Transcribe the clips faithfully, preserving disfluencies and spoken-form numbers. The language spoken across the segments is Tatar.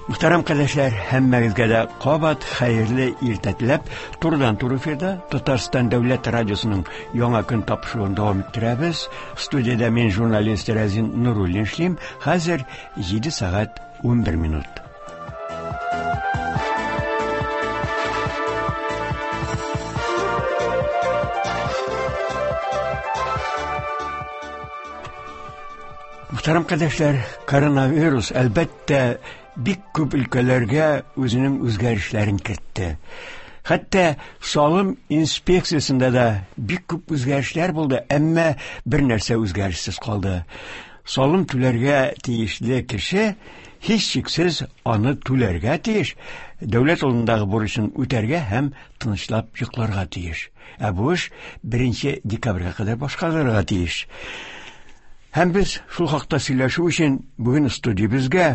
Мөхтәрәм кардәшләр, һәммәгезгә дә кабат хәерле иртә теләп, турыдан-туры эфирда Татарстан Дәүләт радиосының Яңа көн тапшыруын дәвам иттерәбез. Студиядә мин журналист Разин Нуруллин эшлим. Хәзер җиде сәгать унбер минут. Мөхтәрәм кардәшләр, коронавирус әлбәттә бик күп өлкәләргә үзенең үзгәрешләрен кертте. Хәтта салым инспекциясендә дә бик күп үзгәрешләр булды, әмма бер нәрсә үзгәрешсез калды. Салым түләргә тиешле кеше һичшиксез аны түләргә тиеш, дәүләт алдындагы бурычын үтәргә һәм тынычлап йокларга тиеш. Ә бу эш беренче декабрьгә кадәр башкарылырга тиеш. Һәм без шул хакта сөйләшү өчен бүген студиябезгә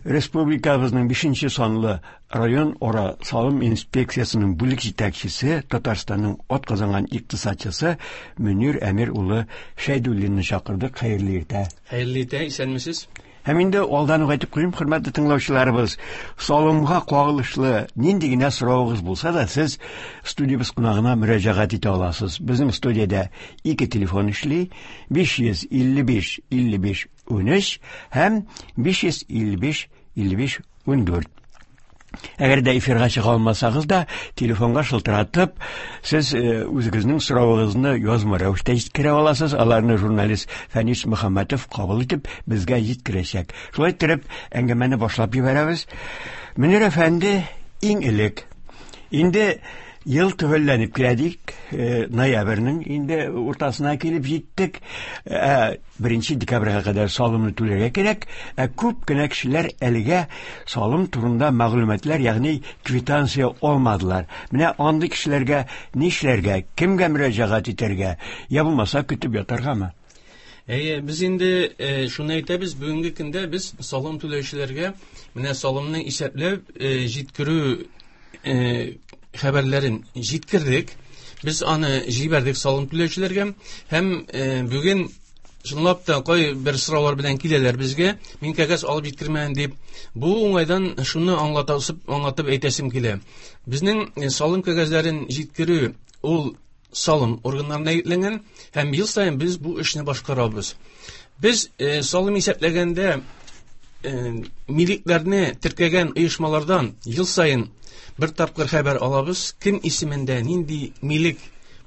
республикабызның бишенче санлы район ара салым инспекциясенең бүлек җитәкчесе, Татарстанның атказанган икътисадчысы Мөнир Әмир улы Шәйдуллинны чакырдык. Хәерле иртә. Хәерле иртә, исәнмесез. Һәм инде алдан ук әйтеп куйым, хөрмәтле тыңлаучыларыбыз, салымга кагылышлы нинди генә соравыгыз булса да, сез студиябез кунагына мөрәҗәгать итә аласыз. Безнең студиядә ике телефон эшли: биш йөз илле биш илле биш унөч һәм биш йөз илле биш илле биш ундүрт. Әгәр дә эфирга чыга алмасагыз да, телефонга шылтыратып, сез, э, үзегезнең соравыгызны язма рәвештә җиткерә аласыз. Аларны журналист Фәнис Мөхәммәтов кабул итеп, безгә җиткерәчәк. Шулай итеп, әңгәмәне башлап җибәрәбез. Мөнир әфәнде, иң элек инде ел төгәлләнеп килә дик, э, ноябрьнең инде уртасына килеп җиттек. Ә, беренче декабрьгә кадәр салымны түләргә кирәк. Ә күп кенә кешеләр әлегә салым турында мәгълүматлар, ягъни квитанция алмадылар. Менә андый кешеләргә нишләргә, кемгә мөрәҗәгать итәргә, я булмаса көтеп ятаргамы? Әйе, без инде, э, шуны әйтәбез, бүгенге көндә без салым түләүчеләргә менә салымны исәпләп, э, җиткерү, э, хәбәрләрен җиткердек. Без аны җибәрдек салым түләүчеләргә һәм, э, бүген чынлап та кай бер сораулар белән киләләр безгә, мин кәгазь алып җиткермәдем дип. Бу уңайдан шуны аңлатасып, аңлатып әйтәсем килә. Безнең, э, салым кәгазьләрен җиткерү ул салым органнарына йөкләнгән һәм ел саен без бу эшне башкарабыз. Без, э, салым исәпләгәндә, э, милекләрне теркәгән оешмалардан ел саен бер тапкыр хәбәр алабыз, кем исемендә нинди милек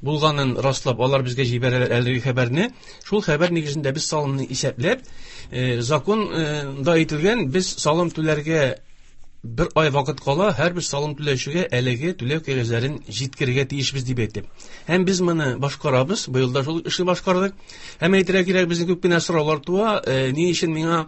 булганын раслап, алар безгә җибәрәләр әлеге хәбәрне. Шул хәбәр нигезендә без салымны исәпләп, э, законда әйтелгән, без салым түләргә бер ай вакыт кала, һәрбер салым түләүчегә әлеге түләү кәгазьләрен җиткерергә тиешбез дип әйтеп. Һәм без моны башкарабыз, быел да шул эшне башкардык. Һәм әйтергә кирәк, безнең күп кенә сораулар туа, э, ни өчен миңа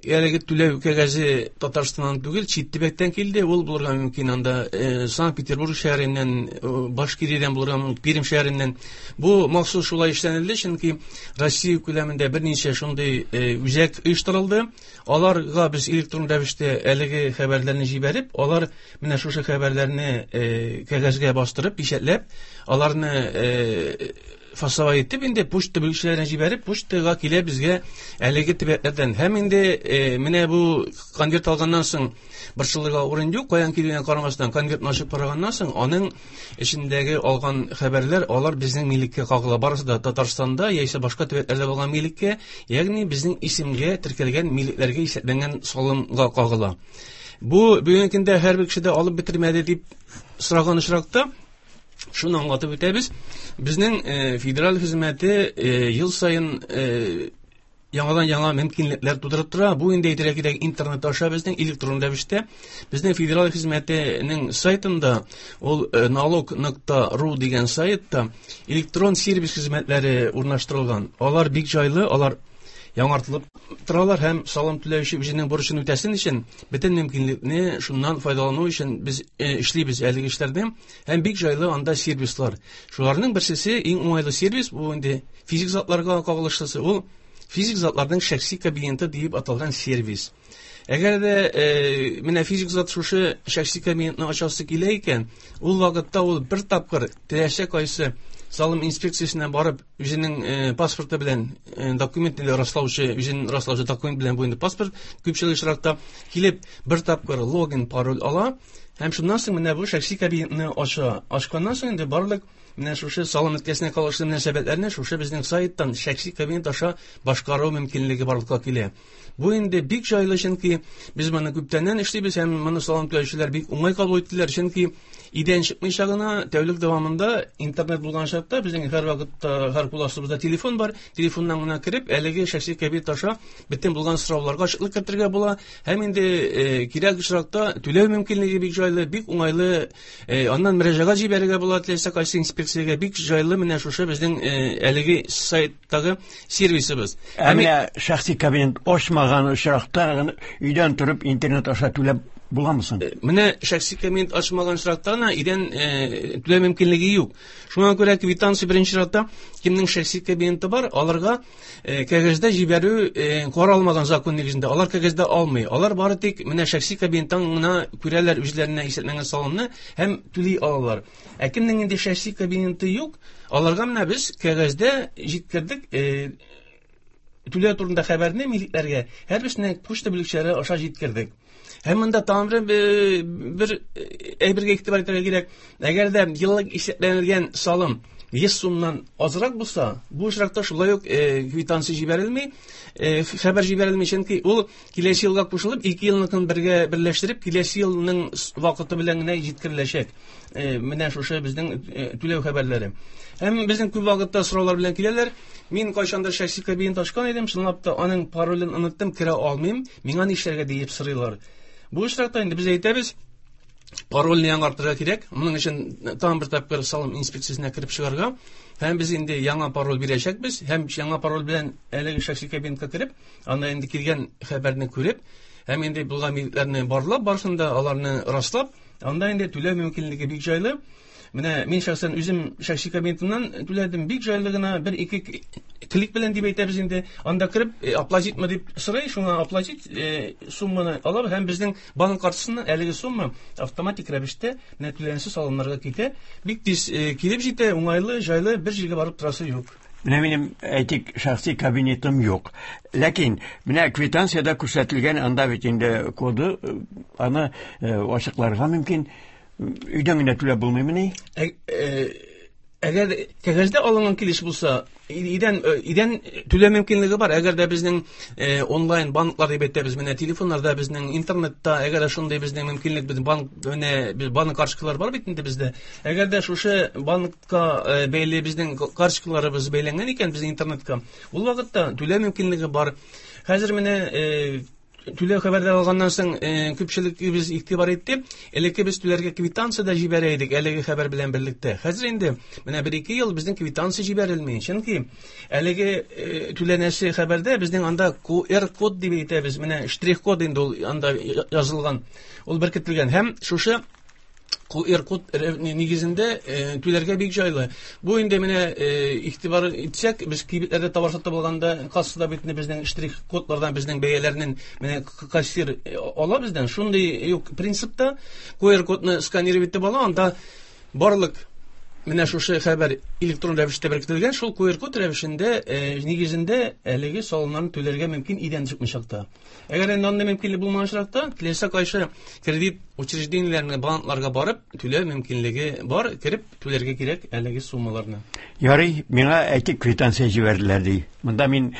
әлеге түләү кәгазе Татарстаннан түгел, чит төбәктән килде, ул булырга мөмкин анда, э, Санкт-Петербург шәһәреннән, э, Башкириядән булырга мөмкин, Пермь шәһәреннән. Бу махсус шулай эшләнелде, чөнки Россия күләмендә берничә шундый, э, үзәк оештырылды. Аларга без электрон рәвештә әлеге хәбәрләрне җибәреп, алар менә шушы хәбәрләрне, э, кәгазьгә бастырып, печатьләп, аларны, э, фасовать итеп, инде почта бүлекчәләренә җибәреп, почтага килә безгә әлеге төбәкләрдән. Һәм инде, э, менә бу конверт алганнан соң борчылырга урын юк, каян килгәнен карамастан, конвертны ачып караганнан соң, аның эчендәге алган хәбәрләр, алар безнең милеккә кагыла. Барысы да Татарстанда яисә башка төбәкләрдә булган милеккә, ягъни безнең исемгә теркәлгән милекләргә исәпләнгән салымга кагыла. Бу бүгенге көндә һәрбер кеше дә алып бетермәде дип сораган очракта шуны аңлатып үтәбез. Безнең, э, федераль хезмәте, э, ел саен, э, яңадан яңа мөмкинлекләр тудырып тора. Бу инде әйтергә кирәк, интернет аша безнең электрон рәвештә безнең федераль хезмәтенең сайтында, ул, э, налог нокта ру дигән сайтта электрон сервис хезмәтләре урнаштырылган. Алар бик җайлы, алар яңартылып торалар һәм салым түләүче үзенең бурычын үтәсен өчен бөтен мөмкинлекне шуннан файдалану өчен без, э, эшлибез әлеге эшләрне һәм бик җайлы анда сервислар. Шуларның берсесе иң уңайлы сервис, бу инде физик затларга кагылышлысы, ул физик затларның шәхси кабинеты дип аталган сервис. Әгәр дә, э, менә физик зат шушы шәхси кабинетны ачасы килә икән, ул вакытта ул бер тапкыр теләсә кайсы Салым инспекциясенә барып, үзенең э, паспорты белән э, документын раслаучы, үзен раслаучы документ белән бу инде паспорт, күпчелек очракта килеп бер тапкыр логин, пароль ала һәм шуннан соң менә бу шәхси кабинетны ача. Ачканнан соң инде барлык менә шушы салым өлкәсенә кагылышлы мөнәсәбәтләрне шушы безнең сайттан шәхси кабинет аша башкару мөмкинлеге барлыкка килә. Бу инде бик җайлы, чөнки без моны күптәннән эшлибез һәм моны салым түләүчеләр бик уңай кабул иттеләр, чөнки өйдән чыкмыйча гына тәүлек дәвамында интернет булган чакта безнең һәр вакытта һәр кул астыбызда телефон бар, телефоннан гына кереп әлеге шәхси кабинет аша бөтен булган сорауларга ачыклык кертергә була һәм инде э, кирәк очракта түләү мөмкинлеге бик җайлы, бик уңайлы, э, аннан мөрәҗәгать җибәрергә була теләсә кайсы инспекциягә, бик җайлы менә шушы безнең э, әлеге сайттагы сервисыбыз. Ә менә шәхси кабинет ачмаган очракта өйдән торып интернет аша түләп буламы соң? Менә шәхси кабинет ачмаган очракта гына өйдән түләү мөмкинлеге юк. Шуңа күрә квитанция беренче чиратта кемнең шәхси кабинеты бар, аларга кәгазьдә җибәрү каралмаган закон нигезендә. Алар кәгазьдә алмый. Алар бары тик менә шәхси кабинеттан гына күрәләр үзләренә исәпләнгән салымны һәм түли алалар. Ә кемнең инде шәхси кабинеты юк, аларга менә без кәгазьдә җиткердек түләү турында хәбәрне милекләргә һәрберсенә почта бүлекчәләре аша җиткердек. Һәм монда тагын бер, бер әйбергә игътибар итәргә кирәк. Әгәр дә еллык исәпләнелгән салым йөз сумнан азрак булса, бу очракта шулай ук квитанция җибәрелми, хәбәр җибәрелми, чөнки ул киләсе елга кушылып, ике елныкын бергә берләштереп, киләсе елның вакыты белән генә җиткереләчәк. Менә шушы безнең түләү хәбәрләре. Һәм безнең күп вакытта сораулар белән киләләр. Мин кайчандыр шәхси кабинет ачкан идем, чынлап та аның паролен оныттым, керә алмыйм, миңа нишләргә диеп сорыйлар. Бу очракта инде без әйтәбез, парольне яңартырга кирәк. Моның өчен тагын бер тапкыр салым инспекциясенә кереп чыгарга. Һәм без инде яңа пароль бирәчәкбез. Һәм яңа пароль белән әлеге шәхси кабинетка кереп, анда инде килгән хәбәрне күреп, һәм инде булган билгеләрне барлап, барысын да аларны раслап, анда инде түләү мөмкинлеге бик җайлы. Менә мин шәхсән үзем шәхси кабинетымнан түләдем, бик җайлы гына бер ике клик белән дип әйтәбез инде. Анда кереп оплатить дип сорый, шуңа оплатить сумманы алабыз һәм безнең банк картасыннан әлеге сумма автоматик рәвештә менә түләнсез салымнарга китә. Бик тиз килеп җитә, уңайлы, җайлы, бер җиргә барып торасы юк. Менә минем әйтик шәхси кабинетым юк. Ләкин менә квитанциядә күрсәтелгән анда бит инде коды, аны ачыкларга мөмкин. Өйдән генә түләп булмыймыни? Әгәр кәгазьдә алынган килеш булса, өйдән өйдән түләү мөмкинлеге бар. Әгәр дә безнең онлайн банклар дип әйтәбез, менә телефоннарда безнең интернетта, әгәр дә шундый безнең мөмкинлек, безнең банк менә банк карточкалар бар бит инде бездә. Әгәр дә шушы банкка бәйле безнең карточкаларыбыз бәйләнгән икән безнең интернетка, ул вакытта түләү мөмкинлеге бар. Хәзер менә түләү хәбәрләр алганнан соң күпчелегебез игътибар итте. Элекке без түләргә квитанция да җибәрә идек әлеге хәбәр белән берлектә. Хәзер инде менә бер-ике ел безнең квитанция җибәрелми. Чөнки әлеге түләнәсе хәбәрдә безнең анда ку эр код дип әйтәбез. Менә штрих-код инде ул анда язылган, ул беркетелгән һәм шушы ку эр код нигезендә түләргә бик җайлы. Бу инде менә игътибар итсәк, без кибетләрдә товар сатып алганда кассада бит безнең штрих кодлардан безнең бәяләрнең менә кассир ала бездән. Шундый юк принципта ку эр кодны сканировать итеп ала, анда барлык менә шушы хәбәр электрон рәвештә беркетелгән, шул ку эр код рәвешендә нигезендә әлеге салымнарны түләргә мөмкин өйдән чыкмыйча. Әгәр инде андый мөмкинлек булмаган очракта, теләсә кайсы кредит учреждениеләренә, банкларга барып түләү мөмкинлеге бар, кереп түләргә кирәк әлеге суммаларны. Ярый, миңа әйтик квитанция җибәрделәр ди. Монда мин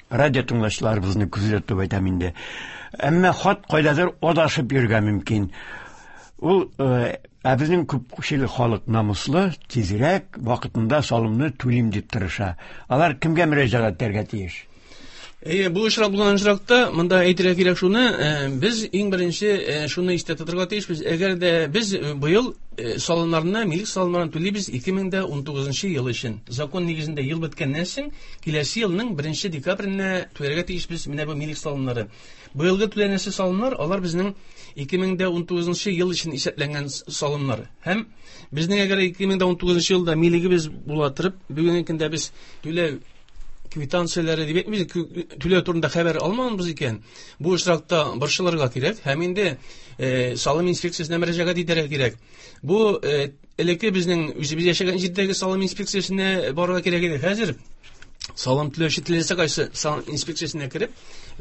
радио тыңлаучыларыбызны күздә тотып әйтәм инде. Әмма хат кайдадыр адашып йөргә мөмкин. Ул ә безнең күпчелек халык намуслы, тизрәк вакытында салымны түлим дип тырыша. Алар кемгә мөрәҗәгать итәргә тиеш? Әйе, бу очрак булган очракта монда әйтергә кирәк шуны, без иң беренче шуны истә тотарга тиешбез. Әгәр дә без быел салымнарны, милек салымнарын түлибез ике мең дә унтугызынчы ел өчен. Закон нигезендә ел беткәннән соң киләсе елның беренче декабренә түләргә тиешбез менә бу милек салымнары. Быелгы түләнәсе салымнар алар безнең ике мең дә унтугызынчы ел өчен исәпләнгән салымнар. Һәм безнең әгәр ике мең дә унтугызынчы елда милегебез була торып, бүгенге көндә без түләү квитанцияләре дип әйтмибез, түләү турында хәбәр алмаганбыз икән, бу очракта борчылырга кирәк һәм инде э, салым инспекциясенә мөрәҗәгать итәргә кирәк. Бу э, элекке безнең үзебез яшәгән җирдәге салым инспекциясенә барырга кирәк иде. Хәзер салым түләүче теләсә кайсы салым инспекциясенә кереп,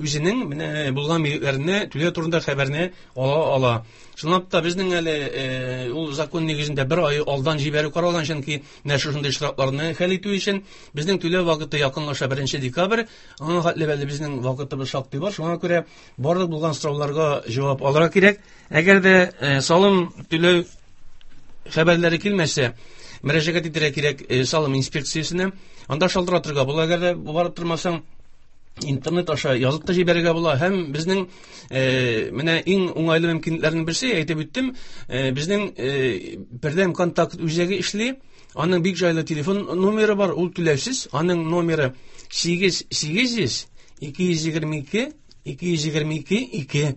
үзенең менә булган милекләренә түләү турында хәбәрне ала ала. Чынлап та безнең әле э, ул закон нигезендә бер ай алдан җибәрү каралган, чөнки менә шушындый очракларны хәл итү өчен безнең түләү вакыты якынлаша, беренче декабрь, аңа хәтле әле безнең вакытыбыз шактый бар. Шуңа күрә барлык булган сорауларга җавап алырга кирәк. Әгәр дә э, салым түләү хәбәрләре килмәсә, мөрәҗәгать итәргә кирәк э, салым инспекциясенә. Анда шалтыратырга була, әгәр дә барып тормасаң, интернет аша язып та җибәрергә була. Һәм безнең э, менә иң уңайлы мөмкинлекләрнең берсе, әйтеп үттем, э, безнең э, бердәм контакт үзәге эшли. Аның бик җайлы телефон номеры бар, ул түләүсез. Аның номеры сигез сигез йөз ике йөз егерме ике ике йөз егерме ике ике.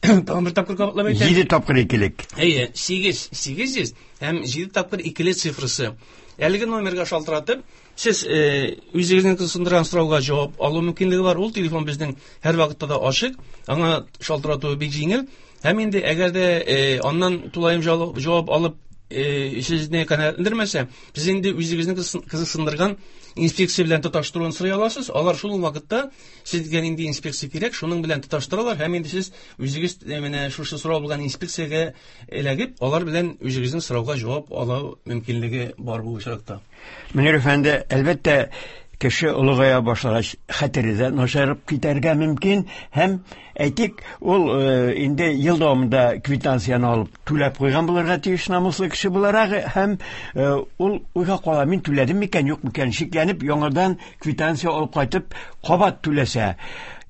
Тагын бер тапкыр кабатлап әйтәм. Җиде тапкыр икелек. Әйе, сигез сигез йөз һәм җиде тапкыр икеле цифрасы. Әлеге номерга шалтыратып, сез, э, үзегезнең кызыксындырган сорауга җавап алу мөмкинлеге бар. Ул телефон безнең һәр вакытта да ачык. Аңа шалтырату бик җиңел. Һәм инде әгәр дә, э, аннан тулаем җавап, җавап алып, э, сезне канәгатьләндермәсә, сез инде үзегезнең кызыксындырган инспекция белән тоташтыруын сорый аласыз. Алар шул вакытта сезгә нинди инспекция кирәк, шуның белән тоташтыралар һәм инде сез үзегез, э, менә шушы сорау булган инспекциягә эләгеп, алар белән үзегезнең сорауга җавап алу мөмкинлеге бар бу очракта. Мөнир әфәнде, әлбәттә, кеше олыгая башлагач, хәтере дә начарып китәргә мөмкин һәм, әйтик, ул, э, инде ел дәвамында квитанцияне алып түләп куйган булырга тиеш намуслы кеше буларак һәм, э, ул уйга кала, мин түләдем микән, юк микән, шикләнеп яңадан квитанция алып кайтып кабат түләсә,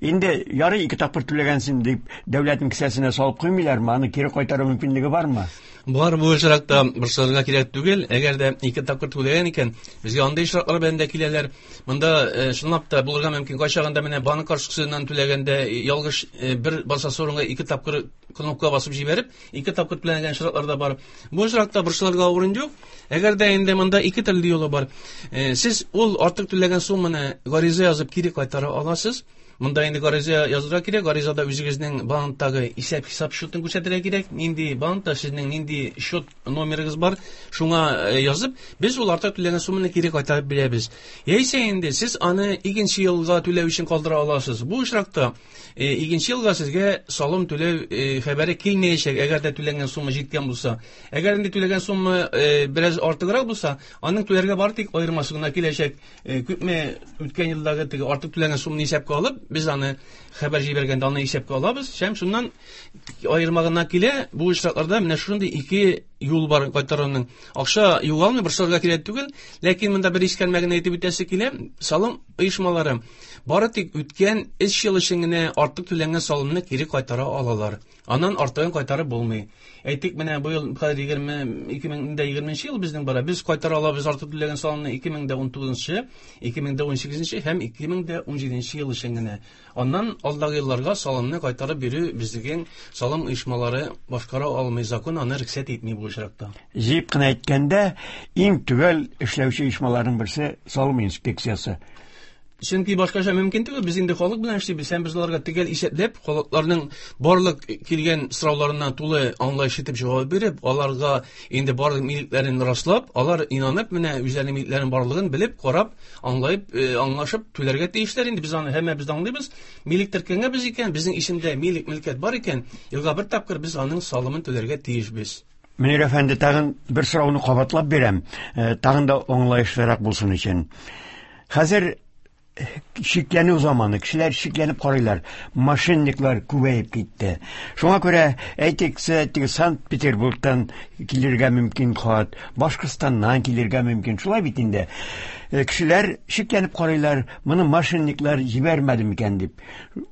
инде ярый ике тапкыр түләгәнсең дип дәүләтнең кесәсенә салып куймыйлармы, аны кире кайтару мөмкинлеге бармы? Бар, бу очракта борчылырга кирәк түгел. Әгәр дә ике тапкыр түләгән икән, безгә андый очраклар белән дә киләләр. Монда, э, чынлап та булырга мөмкин. Кайчагында менә банк карточкасыннан түләгәндә ялгыш, э, бер басасы урынга ике тапкыр кнопка басып җибәреп, ике тапкыр түләнгән очраклар да бар. Бу очракта борчылырга урын юк. Әгәр дә инде монда ике төрле юлы бар. Э, сез ул артык түләгән сумманы гариза язып кире кайтара аласыз. Монда инде гариза язырга кирәк. Гаризада үзегезнең банктагы исәп-хисап счетын күрсәтергә кирәк. Нинди банкта сезнең нинди счет номерыгыз бар, шуңа, э, язып, без ул артык түләгән сумманы кире кайтарып бирәбез. Яисә инде сез аны икенче елга түләү өчен калдыра аласыз. Бу очракта, э, икенче елга сезгә салым түләү, э, хәбәре килмәячәк, әгәр дә түләнгән сумма җиткән булса. Әгәр инде түләгән сумма, э, бераз артыграк булса, аның түләргә бары тик аермасы гына киләчәк. Э, күпме үткән елдагы теге артык түләнгән сумманы исәпкә алып, без аны хәбәр җибәргәндә аны исәпкә алабыз. Һәм шуннан аерма гына килә. Бу очракларда менә шундый ике юл бар кайтаруның. Акча югалмый, борчылырга кирәк түгел, ләкин монда бер искәрмә генә әйтеп үтәсе килә. Салым оешмалары бары тик үткән өч ел өчен генә артык түләнгән салымны кире кайтара алалар. Аннан артыгын кайтарып булмый. Әйтик, менә бу ел хәзер егерме, ике мең дә егерменче ел безнең бара. Без кайтара алабыз артык түләгән салымны ике мең дә ун тугызынчы, ике мең дә ун сигезенче һәм ике мең дә ун җиденче ел өчен генә. Аннан алдагы елларга салымны кайтарып бирү безнең салым оешмалары башкара алмый, закон аны рөхсәт итми бу очракта. Җыеп кына әйткәндә, иң төгәл эшләүче оешмаларның берсе салым инспекциясе. Чөнки башкача мөмкин түгел, без инде халык белән эшлибез, һәм без аларга төгәл исәпләп, халыкларның барлык килгән сорауларына тулы аңлаешлы итеп җавап биреп, аларга инде барлык милекләрен раслап, алар инанып, менә үзләренең милекләренең барлыгын белеп, карап, аңлаеп, э, аңлашып түләргә тиешләр. Инде без аны һәммәбез дә аңлыйбыз. Милек теркәнгәнбез икән, безнең исемдә милек мөлкәт бар икән, елга бер тапкыр без аның салымын түләргә тиешбез. Мөнир әфәнде, тагын бер сорауны кабатлап бирәм, э, тагын да аңлаешлырак булсын өчен. Хәзер шикләнү заманы, кешеләр шикләнеп карыйлар, мошенниклар күбәеп китте. Шуңа күрә, әйтик, теге Санкт-Петербургтан килергә мөмкин хат, Башкортстаннан килергә мөмкин, шулай бит инде. Э, кешеләр шикләнеп карыйлар, моны мошенниклар җибәрмәде микән дип.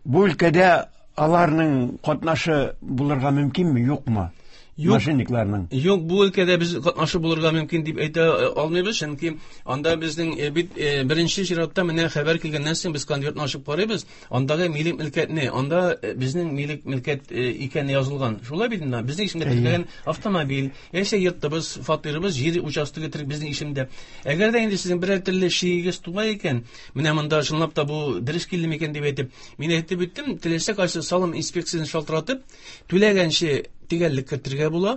Бу өлкәдә аларның катнашы булырга мөмкинме, юкмы? Юк. Мошенникларның. Юк, бу өлкәдә без катнашы булырга мөмкин дип әйтә э, алмыйбыз, чөнки анда безнең э, бит э, беренче чиратта менә хәбәр килгәннән соң без конвертны ачып карыйбыз, андагы милек мөлкәтне, анда э, безнең милек мөлкәт э, икәне язылган. Шулай бит инде, безнең исемдә Әйе. теркәлгән автомобиль, яисә йортыбыз, фатирыбыз, җир участогы терк безнең исемдә. Әгәр дә инде сезнең берәр төрле шигегез туа икән, менә монда чынлап та бу дөрес килде микән дип әйтеп, мин әйтеп үттем, теләсә кайсы салым инспекциясен шалтыратып, түләгәнче төгәллек кертергә була.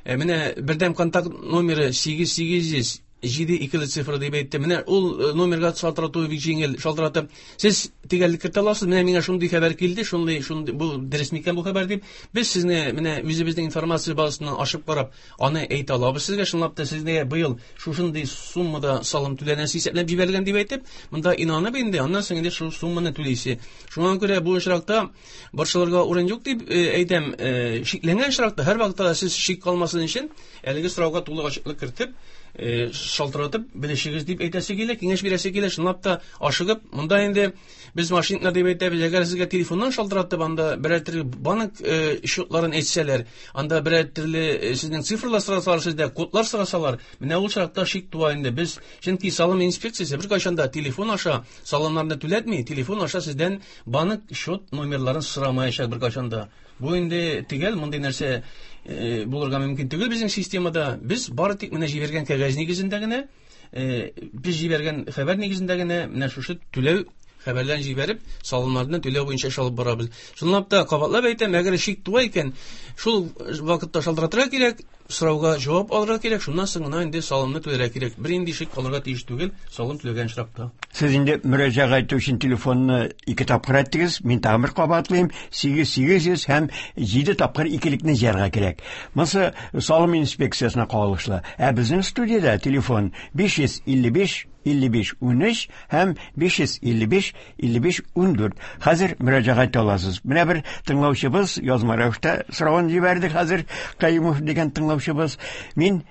Ә, менә бердәм контакт номеры сигез сигез йөз җиде икеле цифра дип әйтте. Менә ул э, номерга шалтырату бик җиңел. Шалтыратып, сез төгәллек кертә аласыз. Менә миңа шундый хәбәр килде, шундый, шундый, бу дөрес микән бу хәбәр дип. Без сезне менә үзебезнең информация базасыннан ачып карап, аны әйтә алабыз сезгә. Чынлап та сезгә быел шушындый суммада салым түләнәсе исәпләп җибәрелгән дип әйтеп, монда инанып инде, аннан соң инде шул сумманы түлисе. Шуңа күрә бу очракта борчылырга урын юк дип, э, әйтәм, э, шикләнгән очракта һәр вакытта да сез шик калмасын өчен әлеге сорауга тулы ачыклык кертеп, э, шалтыратып белешегез дип әйтәсе килә, киңәш бирәсе килә. Чынлап та ашыгып, монда инде без мошенниклар дип әйтәбез, әгәр сезгә телефоннан шалтыратып, анда берәр төрле банк, э, счетларын әйтсәләр, анда берәр төрле, э, сезнең цифрлар сорасалар, сездә кодлар сорасалар, менә ул очракта шик туа инде. Без, чөнки салым инспекциясе беркайчан да телефон аша салымнарны түләтми, телефон аша сездән банк счет номерларын сорамаячак беркайчан да. Бу инде төгәл мондый нәрсә, э, булырга мөмкин түгел безнең системада. Без бары тик менә җибәргән кәгазь нигезендә генә, э, без җибәргән хәбәр нигезендә генә менә шушы түләү хәбәрләрен җибәреп, салымнарны түләү буенча эш алып барабыз. Чынлап та кабатлап әйтәм, әгәр шик туа икән, шул вакытта шалтыратырга кирәк, сорауга җавап алырга кирәк, шуннан соң гына инде салымны түләргә кирәк. Бер инде шик калырга тиеш түгел, салым түләгән очракта. Сез инде мөрәҗәгать итү өчен телефонны ике тапкыр әйттегез, мин тагын бер кабатлыйм, сигез сигез йөз һәм җиде тапкыр икелекне җыярга кирәк. Монысы салым инспекциясенә кагылышлы. Ә безнең студиядә телефон биш йөз илле биш илле биш унөч һәм биш йөз илле биш илле биш ундүрт. Хәзер мөрәҗәгать итә аласыз. Менә бер тыңлаучыбыз язма рәвештә соравын җибәрде хәзер, Каюмов дигән тыңлаучыбыз. Мин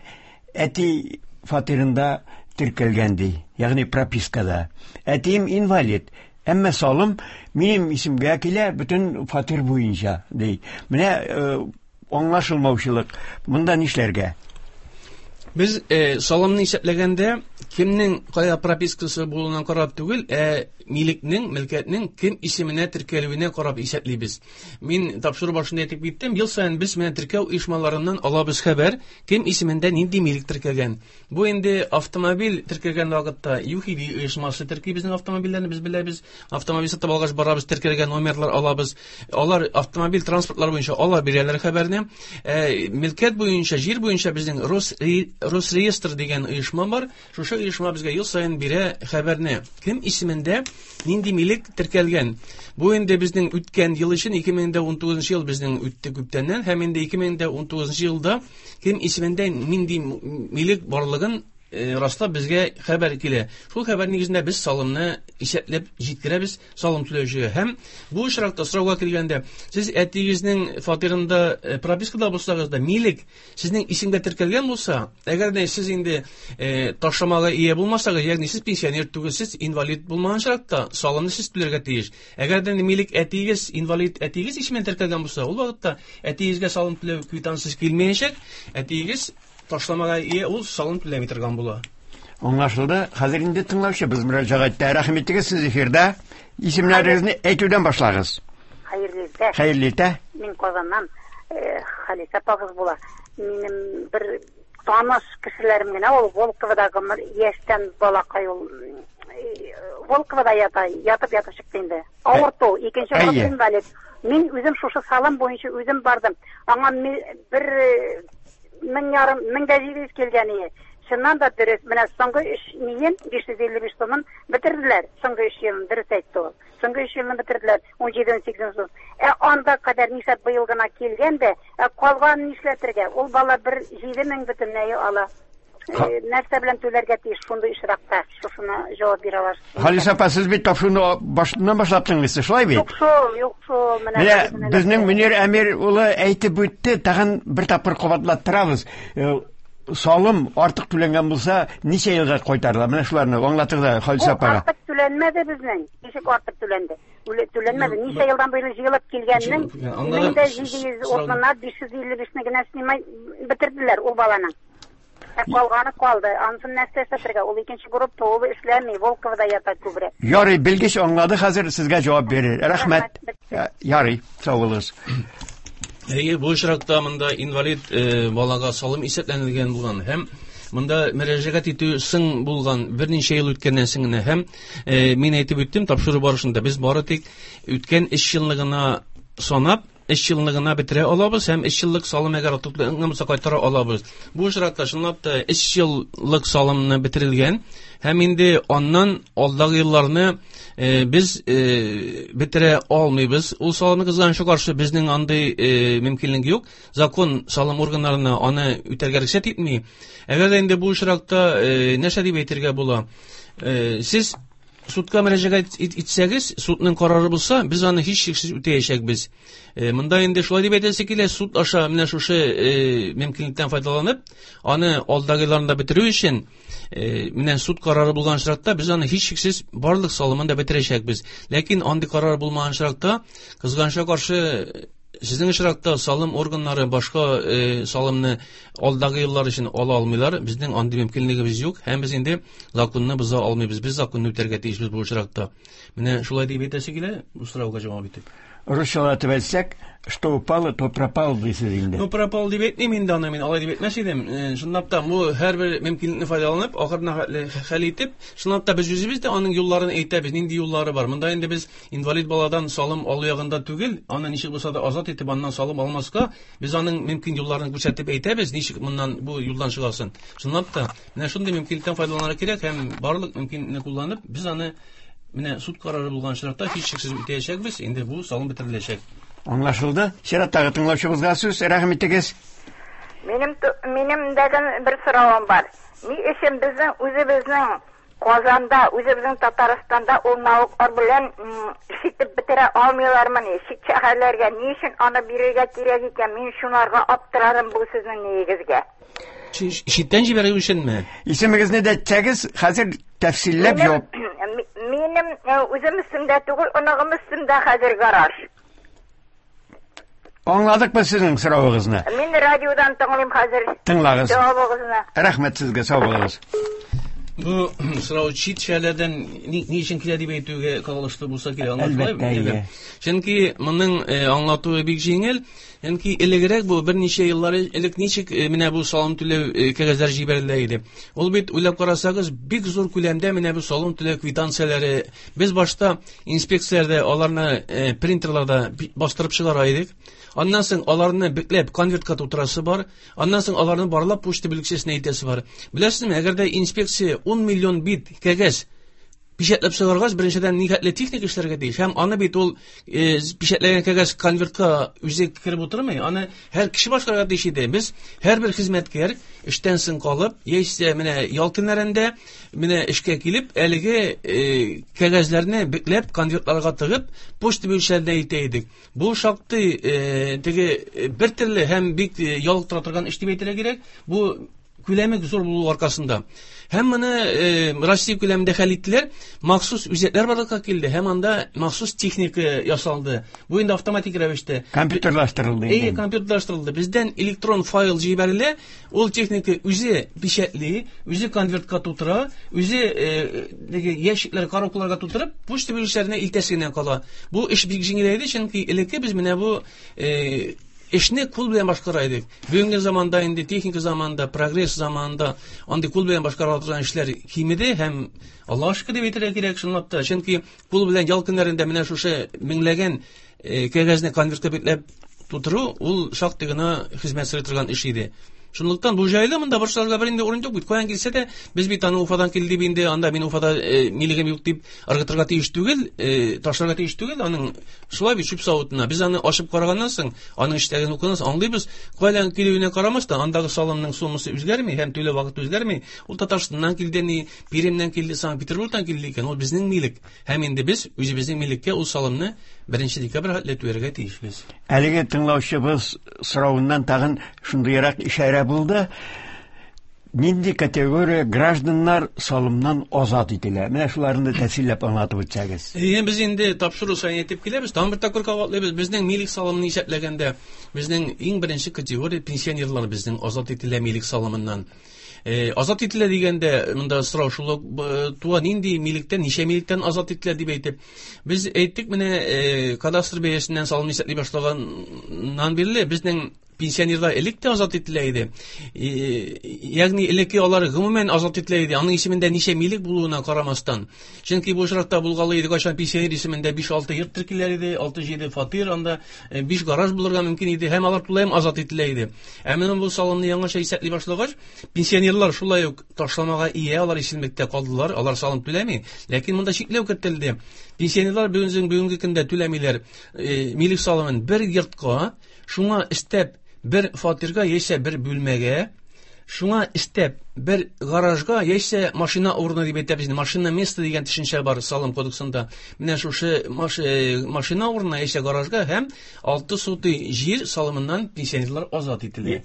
әти фатирында теркәлгән ди, ягъни пропискада. Әтием инвалид, әмма салым минем исемгә килә бөтен фатир буенча ди. Менә, э, аңлашылмаучылык. Монда нишләргә? Без, э, салымны исәпләгәндә кемнең кая пропискасы булуына карап түгел, ә милекнең, мөлкәтнең кем исеменә теркәлүенә карап исәплибез. Мин тапшыру башында әйтеп киттем, ел саен без менә теркәү оешмаларыннан алабыз хәбәр, кем исемендә нинди милек теркәлгән. Бу инде автомобиль теркәлгән вакытта ЮХИДИ оешмасы терки безнең автомобильләрне, без беләбез. Автомобиль сатып алгач барабыз, теркәлгән номерлар алабыз. Алар автомобиль транспортлар буенча ала бирәләр хәбәрне. Ә, мөлкәт буенча, җир буенча безнең Росре-, Росреестр дигән оешма бар. Шушы оешма безгә ел саен бирә хәбәрне. Кем исемендә нинди милек теркәлгән. Бу инде безнең үткән ел өчен ике мең дә унтугызынчы ел безнең үтте күптәннән, һәм инде ике мең дә унтугызынчы елда кем исемендә нинди милек барлыгын, э, раслап безгә хәбәр килә. Шул хәбәр нигезендә без салымны исәпләп җиткерәбез салым түләүчегә. Һәм бу очракта сорауга килгәндә, сез әтиегезнең фатирында, э, пропискада булсагыз да, милек сезнең исемгә теркәлгән булса, әгәр дә сез инде, э, ташламага ия булмасагыз, ягъни сез пенсионер түгелсез, инвалид булмаган очракта салымны сез түләргә тиеш. Әгәр дә милек әтиегез, инвалид әтиегез исеменә теркәлгән булса, ул вакытта әтиегезгә салым түләү квитанциясе килмәячәк, әтиегез ташламага ия, ул салым түләми торган була. Аңлашылды. Хәзер инде тыңлаучыбыз мөрәҗәгать итә. Рәхим итегез, сез эфирда. Исемнәрегезне әйтүдән башлагыз. Хәерле иртә. Хәерле иртә. Мин Казаннан, э, Халисә апагыз була. Минем бер таныш кешеләрем генә ул Волководагы гомер яшьтән балакай ул, э, Волковода ята, ятып ятып чыкты инде. Авырту, икенче Әйе. группа инвалид. Мин үзем шушы салым буенча үзем бардым. Аңа ми-, бер, э, мең ярым, мең дә җиде йөз килгән иде. Чыннан да дөрес, менә соңгы өч миен, биш йөз илле биш сумын бетерделәр. Соңгы өч елын дөрес әйтте ул. Соңгы өч елны бетерделәр, ун җиде, ун сигез сум. Ә анда кадәр нишләп быел гына килгән дә, ә калган нишләтергә? Ул бала бер җиде мең бөтенләй ала. Ха- Э, нәрсә белән түләргә тиеш шундый очракта? Шушына җавап бирә аласыз. Халисә апа, сез бит тапшыруны башыннан башлап тыңлыйсыз, шулай бит? Юк шул, юк шул, менә Менә безнең безнең Мөнир Әмир улы әйтеп үтте, тагын бер тапкыр кабатлаттырабыз. Э, салым артык түләнгән булса, ничә елга кайтарыла? Менә шуларны аңлатыгыз да Халисә Ул апага. артык түләнмәде безнең. Ничек артык түләнде? Түләнмәде. Ничә елдан буе җыелып килгәннең мең дә җиде йөз урынына биш йөз илле бишне генә снимай бетерделәр ул баланың. Ә калганы калды. Анысын нәрсә эшләтергә? Ул икенче группа, ул эшләми, Волковда ята күбрәк. Ярый, белгеч аңлады, хәзер сезгә җавап бирер. Рәхмәт. Ярый, сау булыгыз. Әйе, бу очракта монда инвалид э, балага салым исәпләнелгән булган һәм монда мөрәҗәгать итү соң булган берничә ел үткәннән соң генә һәм э, мин әйтеп үттем тапшыру барышында без бары тик үткән өч елны гына санап өч елны гына бетерә алабыз һәм өч еллык салым әгәр артыкланган булса кайтара алабыз. Бу очракта чынлап та өч еллык салымны бетерелгән һәм инде аннан алдагы елларны э, без э, бетерә алмыйбыз. Ул салымны кызганычка каршы безнең андый э, мөмкинлек юк. Закон салым органнарына аны үтәргә рөхсәт итми. Әгәр дә инде бу очракта э, нәрсә дип әйтергә була? Э, сез судка мөрәҗәгать итсәгез, судның карары булса, без аны һичшиксез үтәячәкбез. Э, монда инде шулай дип әйтәсе килә, суд аша менә шушы э, мөмкинлектән файдаланып, аны алдагы елларында бетерү өчен, э, менә суд карары булган очракта без аны һичшиксез барлык салымын да бетерәчәкбез. Ләкин андый карар булмаган очракта, кызганычка каршы, сезнең очракта салым органнары башка э, салымны алдагы еллар өчен ала алмыйлар. Безнең андый мөмкинлегебез юк һәм без инде законны боза алмыйбыз. Без законны үтәргә тиешбез бу очракта. Менә шулай дип әйтәсе килә, бу сорауга җавап итеп. Русчалатып әйтсәк, что упало, то пропало дисез инде. Ну, пропало дип әйтмим инде аны мин, алай дип әйтмәс идем. Э, чынлап та бу һәрбер мөмкинлекне файдаланып, ахырына хәл итеп, чынлап та без үзебез дә аның юлларын әйтәбез, нинди юллары бар. Монда инде без инвалид баладан салым алу ягында түгел, аны ничек булса да азат итеп аннан салым алмаска, без аның мөмкин юлларын күрсәтеп әйтәбез, ничек моннан бу юлдан чыгасын. Чынлап та менә шундый мөмкинлектән файдаланырга кирәк һәм барлык мөмкинлекне кулланып, без аны менә суд карары булган очракта һичшиксез үтәячәкбез, инде бу салым бетереләчәк. Аңлашылды. Чираттагы тыңлаучыбызга сүз, рәхим итегез. Минем минем дәген бер соравым бар. Ни өчен безнең үзебезнең Казанда, үзебезнең Татарстанда ул налоглар белән ишетеп бетерә алмыйлармыни? Чит шәһәрләргә ни өчен аны бирергә кирәк икән? Мин шунарга аптырарым бу сезнең нигезгә. Читтән җибәрү өченме? Исемегезне дә әйтсәгез, хәзер тәфсилләп җавап. Минем үзем өстемдә түгел, оныгым өстемдә хәзер гараж. Аңладык без сезнең соравыгызны. Мин радиодан тыңлыйм хәзер. Тыңлагыз. Җавабыгызны. Рәхмәт сезгә, сау булыгыз. Бу сорау чит шәһәрләрдән ни, ни өчен килә дип әйтүгә кагылышлы булса кирәк, аңлашыла. Әлбәттә. Чөнки моның аңлатуы бик җиңел. Чөнки элегрәк бу берничә еллар элек ничек менә бу салым түләү кәгазьләре җибәрелә иде. Ул бит уйлап карасагыз, бик зур күләмдә менә бу салым түләү квитанцияләре. Без башта инспекцияләрдә аларны принтерларда бастырып чыгара идек. Аннан соң аларны бекләп конвертка тутырасы бар. Аннан соң аларны барлап почта бүлекчәсенә илтәсе бар. Беләсезме, әгәр дә инспекция ун миллион бит кәгазь печатьләп чыгаргач, беренчедән нихәтле техник эшләргә тиеш. Һәм аны бит ул э, печатьләгән кәгазь конвертка үзе кереп утырмый, аны һәр кеше башкарырга тиеш иде. Без һәрбер хезмәткәр эштән соң калып, яисә менә ял көннәрендә менә эшкә килеп, әлеге э, кәгазьләрне бекләп конвертларга тыгып, почта бүлекчәләренә илтә идек. Бу шактый э, теге бер төрле һәм бик ялыктыра торган эш дип әйтергә кирәк. Бу күләме зур булу аркасында. Һәм моны э, Россия күләмендә хәл иттеләр. Махсус үзәкләр барлыкка килде һәм анда махсус техника ясалды. Бу инде автоматик рәвештә компьютерлаштырылды. Әйе, компьютерлаштырылды. Бездән электрон файл җибәрелә, ул техника үзе печатьли, үзе конвертка тутыра, үзе э, теге ящиклар, коробкаларга тутырып, почта бүлекчәләренә илтәсе генә кала. Бу эш бик җиңеләйде, чөнки элекке без менә бу э, эшне кул белән башкара идек. Бүгенге заманда инде техника заманында, прогресс заманында андый кул белән башкара торган эшләр кимеде һәм Аллаһка шөкер дип әйтергә кирәк чынлап та. Чөнки кул белән ял көннәрендә менә шушы меңләгән кәгазьне конвертка бикләп тутыру ул шактый гына хезмәт сорый торган эш иде. Шунлыктан бу җайлы, монда борчылырга бер инде урын юк бит. Каян килсә дә, без бит аны Уфадан килде дип инде, анда мин Уфада э, милегем юк дип ыргытырга тиеш түгел, э, ташларга тиеш түгел, аның шулай бит чүп савытына. Без аны ачып караганнан соң, аның эчтәген укыганнан соң аңлыйбыз, каян килүенә карамастан, андагы салымның суммасы үзгәрми һәм түләү вакыты үзгәрми. Ул Татарстаннан килде, ни Пермьнән килде, Санкт-Петербургтан килде икән, ул безнең милек. Һәм инде без үзебезнең милеккә ул салымны беренче декабрь хәтле түләргә тиешбез. Әлеге тыңлаучыбыз соравыннан тагын шундыйрак ишарә булды. Нинди категория гражданнар салымнан азат ителә? Менә шуларны тәфсилләп аңлатып үтсәгез. Әйе, без инде тапшыру саен әйтеп киләбез, тагын бер тапкыр кабатлыйбыз. Безнең милек салымын исәпләгәндә, безнең иң беренче категория пенсионерлар безнең азат ителә милек салымыннан. Э, азат ителә дигәндә, монда сорау шул ук туа, нинди милектән, ничә милектән азат ителә дип әйтеп. Без әйттек, менә э, кадастр бәясеннән салым исәпли башлаганнан бирле безнең пенсионерлар элек тә азат ителә иде. Ягъни элекке алар гомумән азат ителә иде. Аның исемендә ничә милек булуына карамастан. Чөнки бу очракта булгалы иде, кайчан пенсионер исемендә биш-алты йорт теркеләр иде, алты-җиде фатир, анда биш гараж булырга мөмкин иде һәм алар тулаем азат ителә иде. Ә менә бу салымны яңача исәпли башлагач, пенсионерлар шулай ук ташламага ия, алар исемлектә калдылар, алар салым түләми. Ләкин монда чикләү кертелде. Пенсионерлар бүгенге бүгенге көндә түләмиләр милек салымын бер йортка, шуңа өстәп бер фатирга яисә бер бүлмәгә, шуңа өстәп бер гаражга яисә машина урыны дип әйтәбез. Машина место дигән төшенчә бар салым кодексында. Менә шушы машина урынына яисә гаражга һәм алты сотый җир салымыннан пенсионерлар азат ителә.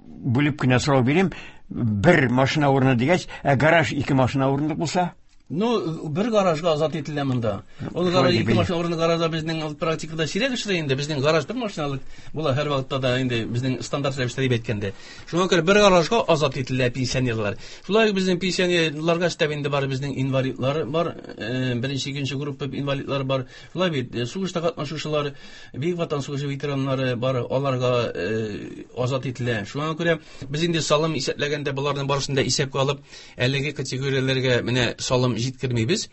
Бүлеп кенә сорау бирим, бер машина урыны дигәч, ә гараж ике машина урынлык булса? Ну, бер гаражга азат ителә монда. Ул гараж ике машина урыны гаражда безнең практикада сирәк очрый инде. Безнең гараж бер машиналык була һәр вакытта да инде безнең стандарт рәвештә дип әйткәндә. Шуңа күрә бер гаражга азат ителә пенсионерлар. Шулай ук безнең пенсионерларга өстәп инде бар безнең инвалидлар бар, беренче, икенче группа инвалидлар бар. Шулай бит, сугышта катнашучылар, Бөек Ватан сугышы ветераннары бар, аларга азат ителә. Шуңа күрә без инде салым исәпләгәндә боларның барысын да исәпкә алып, әлеге категорияләргә менә салым җиткермибез.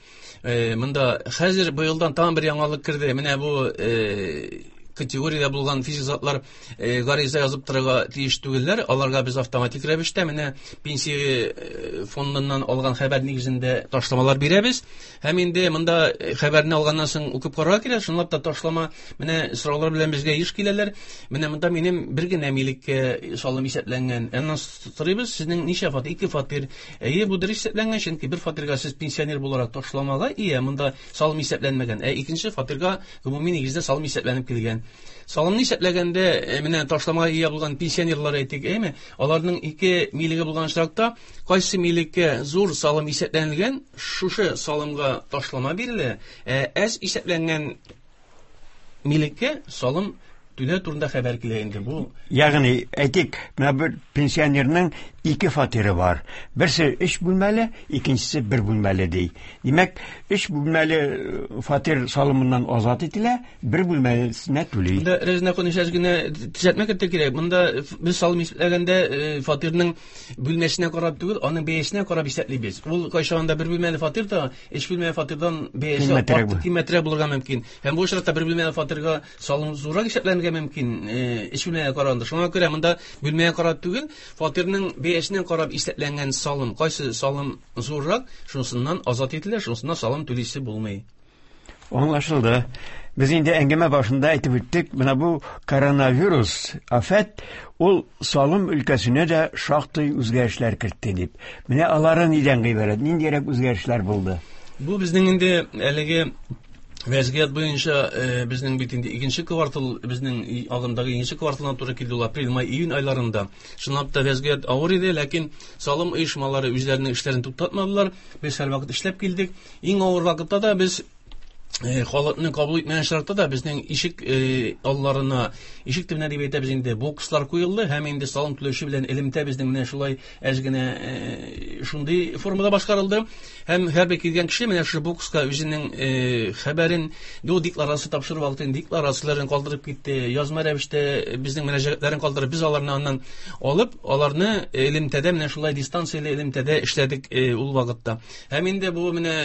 Э, монда хәзер быелдан тагын бер яңалык керде. Менә бу э, категориядә булган физик затлар э, гариза язып торырга тиеш түгелләр. Аларга без автоматик рәвештә менә пенсия фондыннан алган хәбәр нигезендә ташламалар бирәбез. Һәм инде монда хәбәрне алганнан соң укып карарга кирәк. Чынлап та ташлама менә сораулар белән безгә еш киләләр. Менә монда минем бер генә милеккә салым исәпләнгән. Аннан сорыйбыз, сезнең ничә фатир? Ике фатир. Әйе, бу дөрес исәпләнгән, чөнки бер фатирга сез пенсионер буларак ташламага ия, монда салым исәпләнмәгән. Ә икенче фатирга гомуми нигездә салым исәпләнеп килгән. Салымны исәпләгәндә, менә ташламага ия булган пенсионерлар әйтик, әйме? Аларның ике милеге булган очракта, кайсы милеккә зур салым исәпләнелгән, шушы салымга ташлама бирелә, ә әз исәпләнгән милеккә салым түләү турында хәбәр килә инде бу. Ягъни, әйтик, менә бер пенсионерның ике фатиры бар. Берсе өч бүлмәле, икенчесе бер бүлмәле ди. Димәк, өч бүлмәле фатир салымыннан азат ителә, бер бүлмәлесенә түли. Монда Рәзинә ханым әз генә төзәтмә кертергә кирәк. Монда без салым исәпләгәндә фатирның бүлмәсенә карап түгел, аның бәясенә карап исәплибез. Ул кайчагында бер бүлмәле фатир да өч бүлмәле фатирдан бәясе артык кыйммәтрәк булырга мөмкин. Һәм бу очракта бер бүлмәле фатирга салым зуррак исәпләнергә мөмкин, өч бүлмәгә караганда. Шуңа күрә монда бүлмәгә карап түгел, фатирның бәясенә карап исәпләнгән салым, кайсы салым зуррак, шунысыннан азат ителә, шунысыннан салым түлисе булмый. Аңлашылды. Без инде әңгәмә башында әйтеп үттек, менә бу коронавирус афәт ул салым өлкәсенә дә шактый үзгәрешләр кертте дип. Менә алары нидән гыйбарәт, ниндирәк үзгәрешләр булды? Бу безнең инде әлеге вәзгыять буенча безнең бит инде икенче квартал, безнең агымдагы икенче кварталдан туры килде ул апрель, май, июнь айларында. Чынлап та вәзгыять авыр иде, ләкин салым оешмалары үзләренең эшләрен туктатмадылар. Без һәрвакыт эшләп килдек. Иң авыр вакытта да без халыкны кабул итмәгән шартта да безнең ишек алларына, ишек төбенә дип әйтәбез инде, бокслар куелды һәм инде салым түләүче белән элемтә безнең менә шулай әз генә шундый формада башкарылды. Һәм һәрбер килгән кеше менә шушы бокска үзенең хәбәрен, до декларация тапшырып алды, декларацияләрен калдырып китте, язма рәвештә безнең мөрәҗәгатьләрен калдырып, без аларны аннан алып, аларны элемтәдә менә шулай дистанцияле элемтәдә эшләдек ул вакытта. Һәм инде бу менә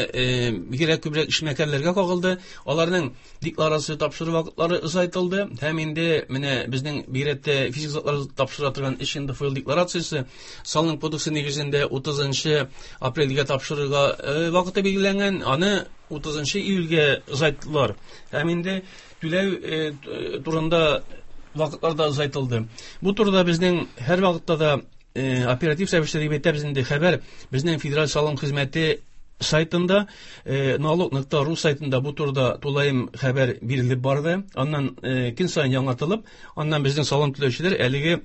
бигрәк күбрәк эшмәкәрләргә кагылды. Аларның декларация тапшыру вакытлары озайтылды. Һәм инде менә безнең бигрәк физик затлар тапшыра торган эш инде файл декларациясе салым кодексы нигезендә утызынчы апрельгә тапшырырга вакыты билгеләнгән, аны утызынчы июльгә озайттылар. Һәм инде түләү турында вакытлар да озайтылды. Бу турыда безнең һәр вакытта да оператив рәвештә дип әйтәбез инде хәбәр безнең Федераль салым хезмәте сайтында, налог нокта ру сайтында бу турыда тулаем хәбәр бирелеп барды. Аннан көн саен яңартылып, аннан безнең салым түләүчеләр әлеге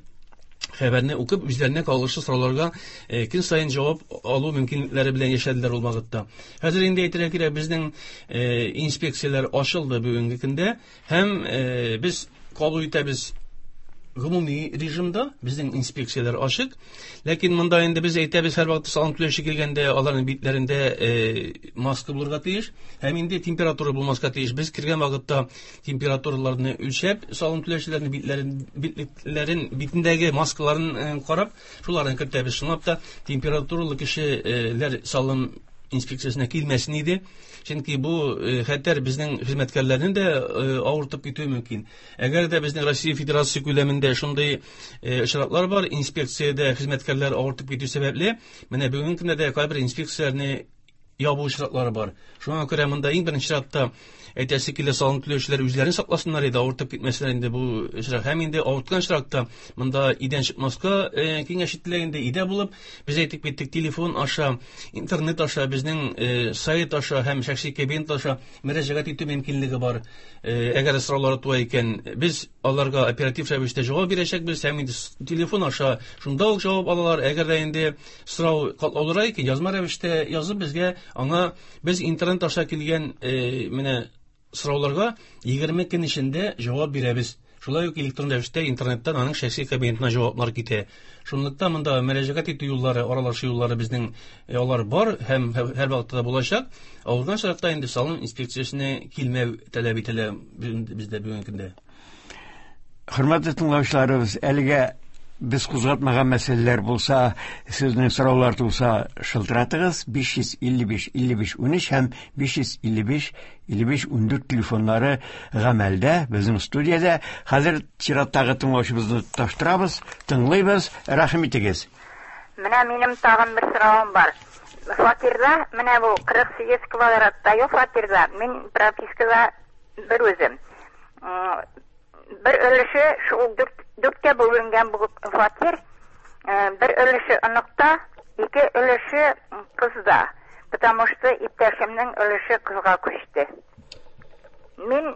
Хәбәрне укып, үзләренә кагылышлы сорауларга э, көн саен җавап алу мөмкинлекләре белән яшәделәр ул вакытта. Хәзер инде әйтергә кирәк, безнең э, инспекцияләр ачылды бүгенге көндә һәм э, без кабул итәбез гомуми режимда, безнең инспекцияләр ачык. Ләкин монда инде без әйтәбез, һәрвакыт салым түләүче килгәндә аларның битләрендә э, маска булырга тиеш һәм инде температура булмаска тиеш. Без кергән вакытта температураларны үлчәп, салым түләүчеләрнең битләрен, битлекләрен, битендәге маскаларын э, карап, шуларны кертәбез. Чынлап та температуралы кешеләр салым инспекциясенә килмәсен иде. Чөнки бу э, хәтәр безнең хезмәткәрләрне дә э, авыртып китүе мөмкин. Әгәр дә безнең Россия Федерациясе күләмендә шундый э, очраклар бар, инспекциядә хезмәткәрләр авыртып китү сәбәпле, менә бүгенге көндә дә кайбер инспекцияләрне ябу очраклары бар. Шуңа күрә монда иң беренче чиратта әйтәсе килә, салым түләүчеләр үзләрен сакласыннар иде, авыртып китмәсеннәр инде бу очрак. Һәм инде авырткан очракта монда өйдән чыкмаска, э, киңәш ителә инде, өйдә булып, без әйтеп киттек, телефон аша, интернет аша, безнең, э, сайт аша һәм шәхси кабинет аша мөрәҗәгать итү мөмкинлеге бар. Э, әгәр сораулар туа икән, без аларга оператив рәвештә җавап бирәчәкбез һәм инде телефон аша шунда ук җавап алалар. Әгәр дә инде сорау катлаулырак икән, язма рәвештә язып безгә, аңа без интернет аша килгән, э, менә сорауларга егерме көн эчендә җавап бирәбез. Шулай ук электрон рәвештә интернеттан аның шәхси кабинетына җаваплар китә. Шунлыктан монда мөрәҗәгать итү юллары, аралашу юллары безнең, э, алар бар һәм һәр вакытта да булачак. Авырган очракта инде салым инспекциясенә килмәү таләп ителә бездә бүгенге көндә. Хөрмәтле тыңлаучыларыбыз, әлегә без кузгатмаган мәсьәләләр булса, сезнең сораулар туса, шылтыратыгыз. биш йөз илле биш илле биш унөч һәм биш йөз илле биш илле биш ундүрт телефоннары гамәлдә безнең студиядә. Хәзер чираттагы тыңлаучыбызны тоташтырабыз, тыңлыйбыз. Рәхим итегез. Менә минем тагын бер соравым бар. Фатирда, менә бу кырык сигез квадратта юк фатирда, мин пропискада бер үзем. М, бер өлеше шул дүрт, дүрткә бүленгән бу фатир, э, бер өлеше оныкта, ике өлеше кызда. Потому что иптәшемнең өлеше кызга күчте. Мин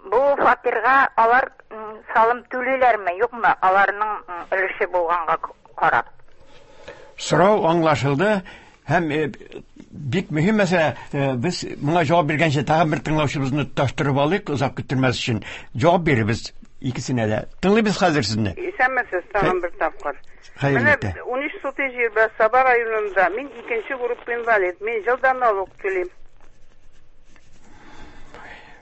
бу фатирга алар, м, салым түлиләрме, юкмы, аларның, м, өлеше булганга карап. Сорау аңлашылды. Һәм, э, бик мөһим мәсьәлә, э, без моңа җавап биргәнче тагын бер тыңлаучыбызны тоташтырып алыйк, озак көттермәс өчен. Җавап бирербез икесенә дә. Тыңлыйбыз хәзер сезне. Исәнмесез, тагын бер тапкыр. Хәерле Менә иртә. унөч сутый җир бар Саба районында. Мин икенче группа инвалид. Мин елдан налог түлим.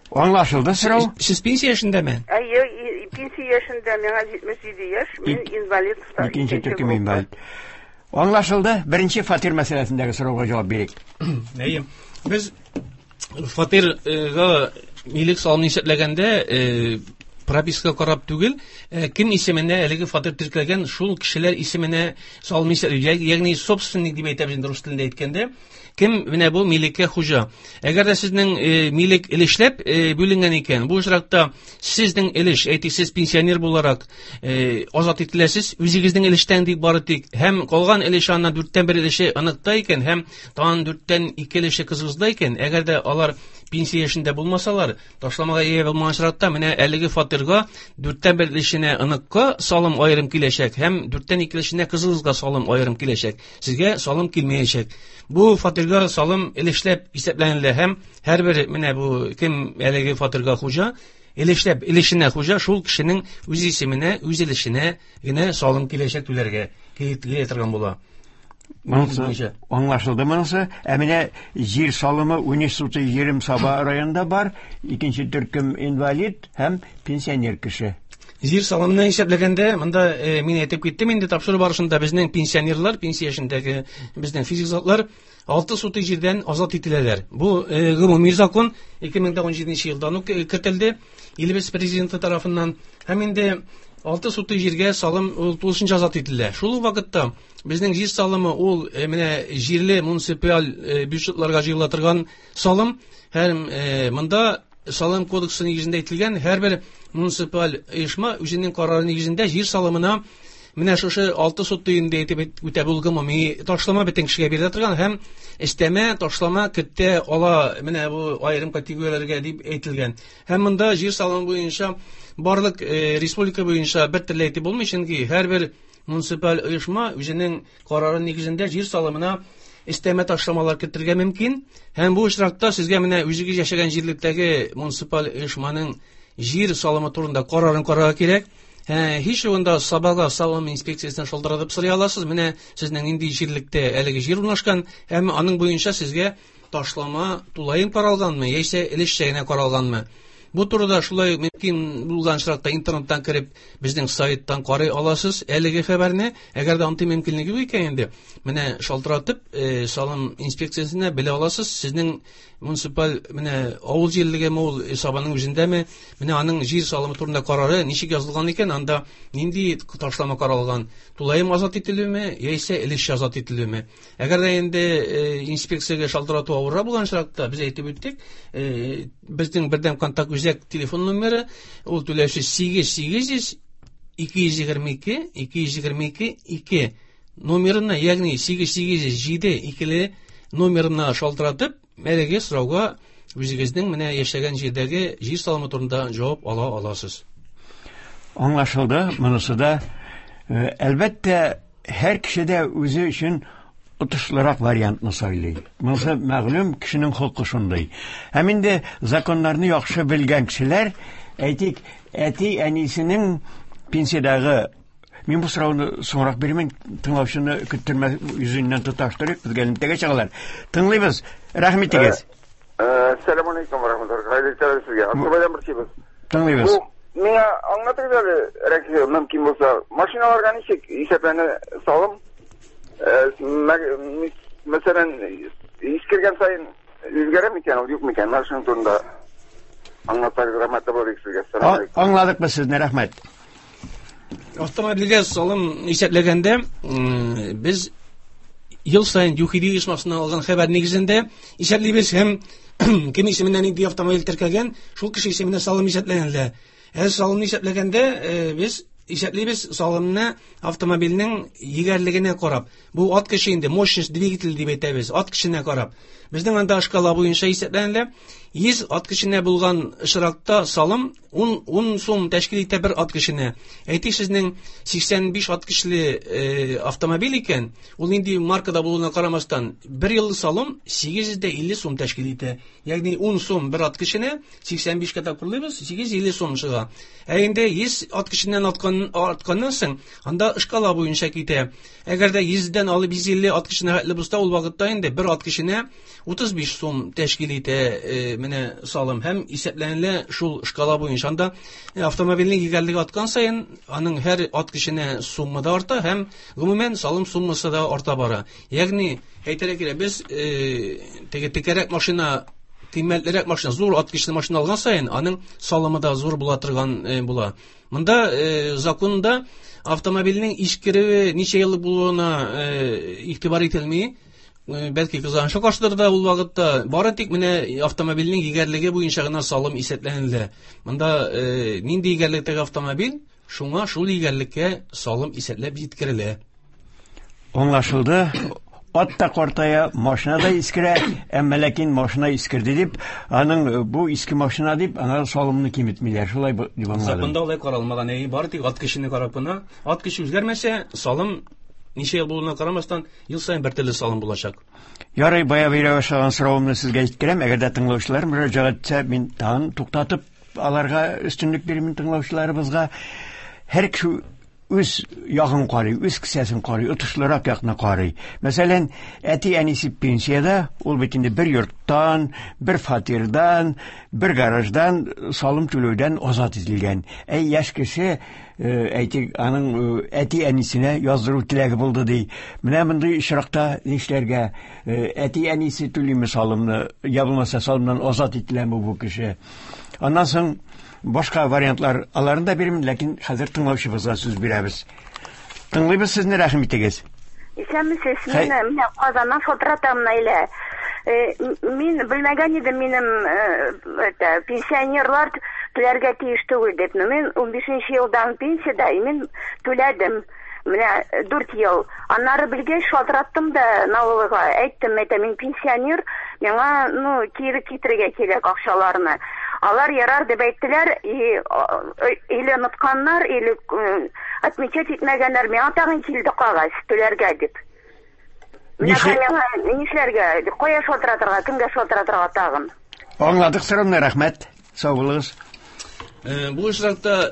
Аңлашылды сорау? Сез пенсия яшендәме? Әйе, и-, пенсия яшендә, миңа җитмеш җиде яшь, мин Ик- инвалид. Икенче Икенче төркем группа. инвалид. Аңлашылды. Беренче фатир мәсьәләсендәге сорауга җавап бирик. Әйе. Без фатирга милек салымын исәпләгәндә, э, прописка карап түгел, э, кем исеменә әлеге фатир теркәлгән, шул кешеләр исеменә салым исәпләү, ягъни собственник дип әйтәбез инде рус телендә әйткәндә, кем менә бу милеккә хуҗа. Әгәр дә сезнең, э, милек өлешләп, э, бүленгән икән, бу очракта сезнең өлеш, әйтик, сез пенсионер буларак, э, азат ителәсез, үзегезнең өлештән дип бары тик, һәм калган өлеше аннан дүрттән бер өлеше аныкта икән, һәм тагын дүрттән ике өлеше кызыгызда икән, әгәр дә алар пенсия яшендә булмасалар, ташламага ия булмаган очракта, менә әлеге фатирга дүрттән бер өлешенә аныкка салым аерым киләчәк, һәм дүрттән ике өлешенә кызыгызга салым аерым киләчәк. Сезгә салым килмәячәк. Бу фатирга салым өлешләп исәпләнелә һәм һәрбер менә бу кем әлеге фатирга хуҗа, өлешләп өлешенә хуҗа, шул кешенең үз исеменә, үз өлешенә генә салым киләчәк түләргә килә торган була. Монысы Буенча. аңлашылды монысы. Ә менә җир салымы унөч сутый җирем Саба районында бар, икенче төркем инвалид һәм пенсионер кеше. Җир салымын исәпләгәндә, монда, э, мин әйтеп киттем инде тапшыру барышында безнең пенсионерлар, пенсия яшендәге безнең физик затлар алты сутый җирдән азат ителәләр. Бу, э, гомуми закон ике мең дә ун җиденче елдан ук кертелде илебез президенты тарафыннан. Һәм инде алты сутый җиргә салым ул тулысынча азат ителә. Шул ук вакытта безнең җир салымы ул, э, менә җирле муниципаль, э, бюджетларга җыела торган салым. Һәм, э, монда салым кодексы нигезендә әйтелгән һәрбер муниципаль оешма үзенең карары нигезендә җир салымына менә шушы алты сутый инде әйтеп үтә бу гомуми ташлама бөтен кешегә бирелә торган һәм өстәмә ташлама кертә ала менә бу аерым категорияләргә дип әйтелгән. Һәм монда җир салымы буенча барлык, э, республика буенча бер төрле әйтеп булмый, чөнки һәрбер Муниципаль оешма үзенең карары нигезендә җир салымына өстәмә ташламалар кертергә мөмкин. Һәм бу очракта сезгә менә үзегез яшәгән җирлектәге муниципаль оешманың җир салымы турында карарын карарга кирәк. Һич югында Сабага салым инспекциясенә шалтыратып сорый аласыз. Менә сезнең нинди җирлектә әлеге җир урнашкан, һәм аның буенча сезгә ташлама тулаем каралганмы, яисә өлешчә генә каралганмы? Бу турыда шулай мөмкин булган очракта интернеттан кереп безнең сайттан карый аласыз әлеге хәбәрне. Әгәр дә андый мөмкинлеге юк икән инде, менә шалтыратып э, салым инспекциясенә белә аласыз, сезнең муниципаль менә авыл җирлегеме ул, Сабаның үзендәме, менә аның җир салымы турында карары ничек язылган икән, анда нинди ташлама каралган, тулаем азат ителүме, яисә өлешчә азат ителүме. Әгәр дә инде э, инспекциягә шалтырату авыррак булган очракта, без әйтеп үттек, э, безнең бердәм контакт үзәк телефон номеры ул түләүсез сигез сигез йөз ике йөз егерме ике ике йөз егерме ике ике номерына, ягъни сигез сигез йөз җиде икеле номерына шалтыратып, әлеге сорауга үзегезнең менә яшәгән җирдәге җир салымы турында җавап ала аласыз. Аңлашылды, монысы да. Әлбәттә, һәр кеше дә үзе өчен отышлырак вариантны сайлый. Монысы мәгълүм, кешенең холкы шундый. Һәм инде законнарны яхшы белгән кешеләр, әйтик, әти-әнисенең пенсиядәге. Мин бу сорауны соңрак бирмен, тыңлаучыны көттермә йөзеннән тоташтырып, безгә элемтәгә чыгалар. Тыңлыйбыз. Рәхим итегез. Әссәламу алейкум ва рахматуллаһи. Хәерле иртәләр сезгә. Аксубайдан борчыйбыз. Тыңлыйбыз. Миңа аңлатыгыз әле, рәхим, мөмкин булса, машиналарга ничек исәпләнә салым? Мәсәлән, искергән саен үзгәрә микән ул, юк микән? Менә шуның турында аңлатсагыз, рәхмәтле булыр идек сезгә. Әссәламу алейкум. Аңладык без сезне, рәхмәт. Автомобильгә салым исәпләгәндә, без ел саен ЮХИДИ оешмасыннан алган хәбәр нигезендә исәплибез һәм кем исеменнән нинди автомобиль теркәлгән, шул кеше исеменә салым исәпләнелә. Ә салымны исәпләгәндә без исәплибез салымны автомобильнең егәрлегенә карап. Бу ат кеше инде, мощность двигатель дип әйтәбез, ат кешенә карап. Безнең анда шкала буенча исәпләнелә. Йөз ат кешенә булган очракта салым ун, ун сум тәшкил итә бер ат кешенә. Әйтик, сезнең сиксән биш ат кешеле э, автомобиль икән, ул нинди маркада булуына карамастан, бер еллык салым сигез йөз дә илле сум тәшкил итә. Ягъни ун сум бер ат кешенә, сиксән бишкә тапкырлыйбыз, сигез йөз илле сум чыга. Ә инде йөз ат кешеннән арткан, артканнан соң, анда шкала буенча китә. Әгәр дә йөздән алып йөз илле ат кешенә хәтле булса, ул вакытта инде бер ат кешенә утыз биш сум тәшкил итә э, менә салым һәм исәпләнелә шул шкала буенча. Анда автомобильнең егәрлеге арткан саен аның һәр ат кешенә сумма да арта һәм гомумән салым суммасы да арта бара. Ягъни әйтергә кирәк, без э, теге текәрәк машина, кыйммәтлерәк машина, зур ат кешеле машина алган саен аның салымы да зур була торган э, була. Монда э, законда автомобильнең искерүе ничә еллык булуына э, игътибар ителми. Бәлки кызганычка каршыдыр да ул вакытта бары тик менә автомобильнең егәрлеге буенча гына салым исәпләнелә. Монда э, нинди егәрлектәге автомобиль, шуңа шул егәрлеккә салым исәпләп җиткерелә. Аңлашылды. Ат та картая, машина да искерә, әмма ләкин машина искерде дип, аның бу иске машина дип, аңа салымны киметмиләр. Шулай дип аңладым. Законда алай каралмаган, әй, бары тик ат кешене карап кына, ат кеше үзгәрмәсә, салым ничә ел булуына карамастан, ел саен бер төрле салым булачак. Ярый, бая бирә башлаган соравымны сезгә җиткерәм. Әгәр дә тыңлаучылар мөрәҗәгать итсә, мин тагын туктатып аларга өстенлек бирмен тыңлаучыларыбызга. Һәр кеше үз ягын карый, үз кесәсен карый, отышлырак якны карый. Мәсәлән, әти-әнисе пенсиядә, ул бит инде бер йорттан, бер фатирдан, бер гараждан салым түләүдән азат ителгән. Әй, яшь кеше, әйтик, аның әти-әнисенә яздыру теләге булды ди. Менә мондый очракта нишләргә? Әти-әнисе түлиме салымны, я булмаса салымнан азат ителәме бу кеше? Аннан соң башка вариантлар аларын да бирмен, ләкин хәзер тыңлаучыбызга сүз бирәбез. Тыңлыйбыз сезне, рәхим итегез. Исәнмесез, мин менә Казаннан шалтыратам, Наилә. Мин белмәгән идем, минем это пенсионерлар түләргә тиеш түгел дип. Мин ун бишенче елдан пенсиядә, мин түләдем. Менә дүрт ел. Аннары белгәч шалтыраттым да налогыга, әйттем, әйтәм, мин пенсионер, миңа, ну, кире китерергә кирәк акчаларны. Алар ярар дип әйттеләр, и или онытканнар, или отмечать итмәгәннәр. Миңа тагын килде кагаз түләргә дип. Миңа нишләргә? Кая шалтыратырга, кемгә шалтыратырга тагын? Аңладык сорауны, рәхмәт. Сау булыгыз. Бу очракта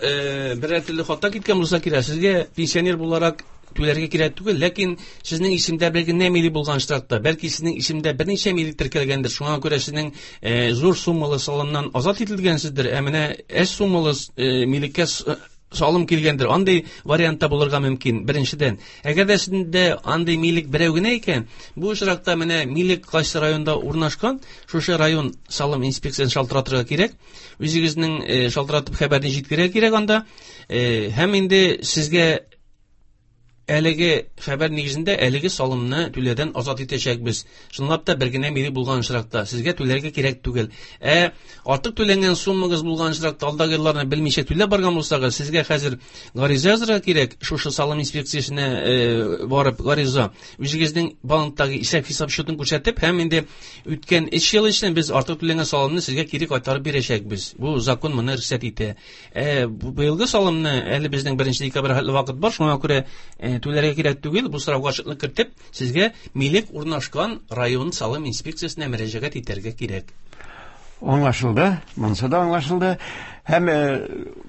берәр төрле хата киткән булса кирәк. Сезгә пенсионер буларак түләргә кирәк түгел, ләкин сезнең исемдә бер генә милек булган очракта, бәлки сезнең исемдә берничә милек теркәлгәндер, шуңа күрә сезнең зур суммалы салымнан азат ителгәнсездер, ә менә әз суммалы милеккә салым килгәндер. Андый вариантта булырга мөмкин, беренчедән. Әгәр дә сездә андый милек берәү генә икән, бу очракта менә милек кайсы районда урнашкан, шушы район салым инспекциясен шалтыратырга кирәк. Үзегезнең шалтыратып хәбәрне җиткерергә кирәк анда. Һәм инде сезгә әлеге хәбәр нигезендә әлеге салымны түләүдән азат итәчәкбез. Чынлап та бер генә милек булган очракта сезгә түләргә кирәк түгел. Ә артык түләнгән суммагыз булган очракта, алдагы елларны белмичә түләп барган булсагыз, сезгә хәзер гариза язырга кирәк. Шушы салым инспекциясенә барып гариза, үзегезнең банктагы исәп-хисап счетын күрсәтеп, һәм инде үткән өч ел эчендә без артык түләнгән салымны сезгә кире кайтарып бирәчәкбез. Бу закон моны рөхсәт итә. Ә быелгы салымны әле безнең беренче декабрь хәтле вакыт бар, шуңа күрә түләргә кирәк түгел. Бу сорауга ачыклык кертеп, сезгә милек урнашкан район салым инспекциясенә мөрәҗәгать итәргә кирәк. Аңлашылды, монысы да аңлашылды. Һәм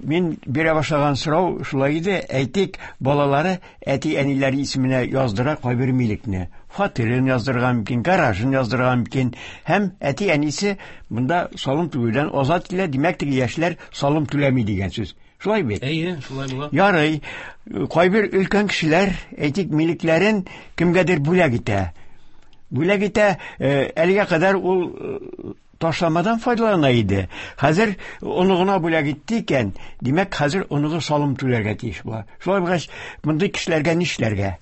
мин бирә башлаган сорау шулай иде. Әйтик, балалары әти-әниләре исеменә яздыра кайбер милекне. Фатирын яздырырга мөмкин, гаражын яздырырга мөмкин. Һәм әти-әнисе монда салым түләүдән азат ителә. Димәк, теге яшьләр салым түләми дигән сүз. Шулай бит? Әйе, шулай була. Ярый, кайбер өлкән кешеләр, әйтик, милекләрен кемгәдер бүләк итә. Бүләк итә, әлегә кадәр ул ташламадан файдалана иде. Хәзер оныгына бүләк итте икән, димәк, хәзер оныгы салым түләргә тиеш була. Шулай булгач, мондый кешеләргә нишләргә?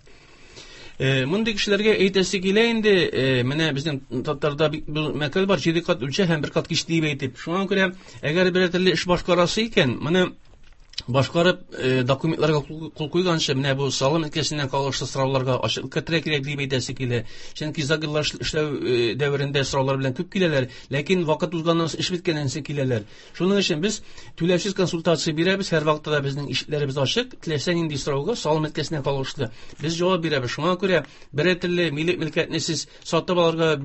Мондый кешеләргә әйтәсе килә инде, менә безнең татарда мәкаль бар, җиде кат үлчә һәм бер кат кич дип әйтеп. Шуңа күрә, әгәр берәр төрле эш башкарасы икән, моны башкарып документларга кул куйганчы, менә бу салым өлкәсеннән кагылышлы сорауларга ачыклык кертергә кирәк дип әйтәсе килә. Чөнки озак еллар эшләү дәверендә сораулар белән күп киләләр, ләкин вакыт узганнан соң, эш беткәннән соң киләләр. Шуның өчен без түләүсез консультация бирәбез, һәр вакытта да безнең ишекләребез ачык, теләсә нинди сорауга салым өлкәсеннән кагылышлы без җавап бирәбез. Шуңа күрә берәр төрле милек мөлкәтне сез сатып алырга,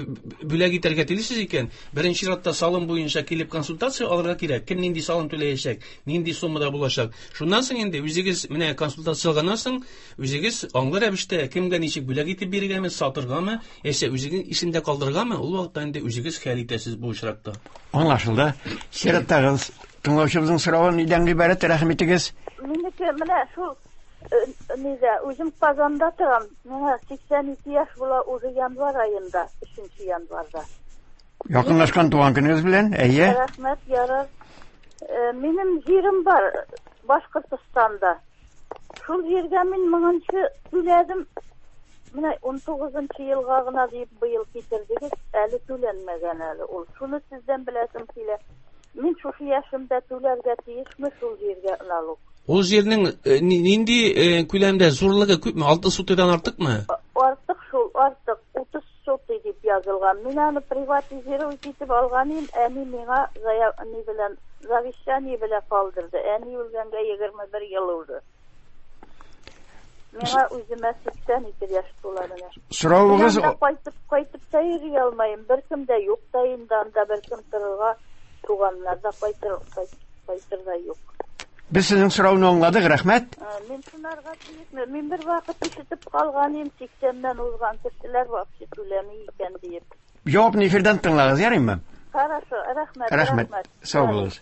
бүләк итәргә телисез икән, беренче чиратта салым буенча килеп консультация алырга кирәк. Кем нинди салым түләячәк, нинди суммада булачак. Шуннан соң инде үзегез менә консультация алганнан соң үзегез аңлы рәвештә кемгә ничек бүләк итеп бирергәме, сатыргамы, яисә үзегезнең исемдә калдыргамы, ул вакытта инде үзегез хәл итәсез бу очракта. Аңлашылды. Чираттагы тыңлаучыбызның соравы нидән гыйбарәт? Рәхим итегез. Минеке менә шул нидә, үзем Казанда торам. Миңа сиксән ике яшь була уже январь аенда, өченче январьда. Якынлашкан туган көнегез белән, әйе. Рәхмәт, ярар. Минем җирем бар Башкортостанда. Шул җиргә мин моңынчы түләдем. Менә ун тугызынчы елга гына дип быел китердегез, әле түләнмәгән әле ул. Шуны сездән беләсем килә. Мин шушы яшемдә түләргә тиешме шул җиргә налог? Ул җирнең нинди күләмдә, зурлыгы күпме? Алты сотыйдан артыкмы? Артык шул, артык. Утыз сотый дип язылган. Мин аны приватизировать итеп алган идем, әни миңа ни белән завещание белән калдырды. Әни үлгәнгә егерме бер ел узды. Миңа үземә сиксән ике яшь тула менә. Соравыгыз кайтып кайтып та йөри алмыйм. Беркем дә юк та инде анда, беркем торырга, туганнар да кайтыр, кайтыр да юк. Без сезнең сорауны аңладык, рәхмәт. Мин шунарга тиешме? Мин бер вакыт ишетеп калган идем, сиксәннән узган кешеләр вообще түләми икән диеп. Җавапны эфирдан тыңлагыз, ярыймы? Хорошо, рәхмәт. Рәхмәт. Сау булыгыз.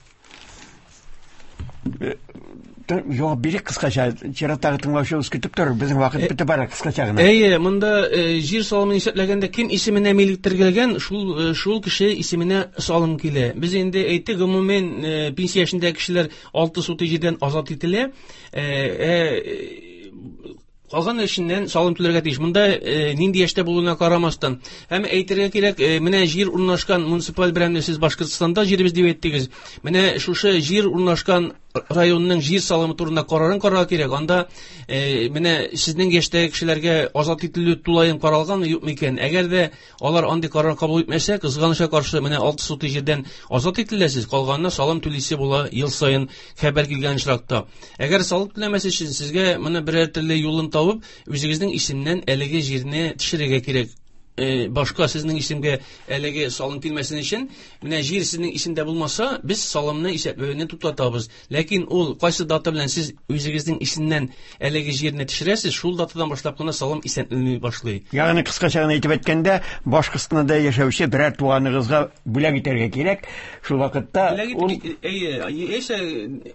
Җавап бирик кыскача, чираттагы тыңлаучыбыз көтеп торыр, безнең вакыт бетеп бара, кыскача гына. Әйе, монда җир салымын исәпләгәндә кем исеменә милек теркәлгән, шул шул кеше исеменә салым килә. Без инде әйттек, гомумән пенсия яшендәге кешеләр алты сотый җирдән азат ителә. Калган эшеннән салым түләргә тиеш. Монда нинди яшьтә булуына карамастан. Һәм әйтергә кирәк, менә җир урнашкан муниципаль берәмне сез Башкортстанда җиребез дип әйттегез. Менә шушы җир урнашкан районының җир салымы турында карарын карарга кирәк. Анда э, менә сезнең яшьтәге кешеләргә азат ителү тулаем каралганмы, юкмы икән? Әгәр дә алар андый карар кабул итмәсә, кызганычка каршы менә алты сотый җирдән азат ителәсез, калганына салым түлисе була ел саен хәбәр килгән очракта. Әгәр салым түләмәс өчен сезгә моны берәр төрле юлын табып, үзегезнең исемнән әлеге җирне төшерергә кирәк. Э, башка сезнең исемгә әлеге салым килмәсен өчен, менә җир сезнең исемдә булмаса, без салымны исәпләүне туктатабыз. Ләкин ул кайсы дата белән сез үзегезнең исемнән әлеге җирне төшерәсез, шул датадан башлап кына салым исәпләнми башлый. Ягъни кыскача гына әйтеп әйткәндә, Башкортстанда яшәүче берәр туганыгызга бүләк итәргә кирәк. Шул вакытта ул әйе, яисә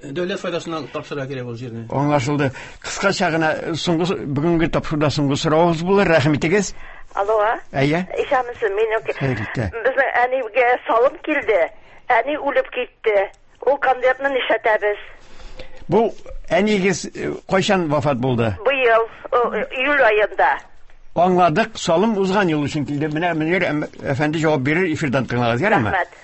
дәүләт файдасына тапшырырга кирәк ул җирне. Аңлашылды. Кыскача гына соңгы бүгенге тапшыруда соңгы соравыбыз булыр. Рәхим итегез. Алло. Әйе. Исәнмесез, мин безнең әнигә салым килде. Әни үлеп китте. Ул конвертны нишләтәбез? Бу әнигез кайчан вафат булды? Быел, июль аенда. Аңладык, салым узган ел өчен килде. Менә Мөнир әфәнде җавап бирер, эфирдан тыңлагыз, ярыймы? Рәхмәт.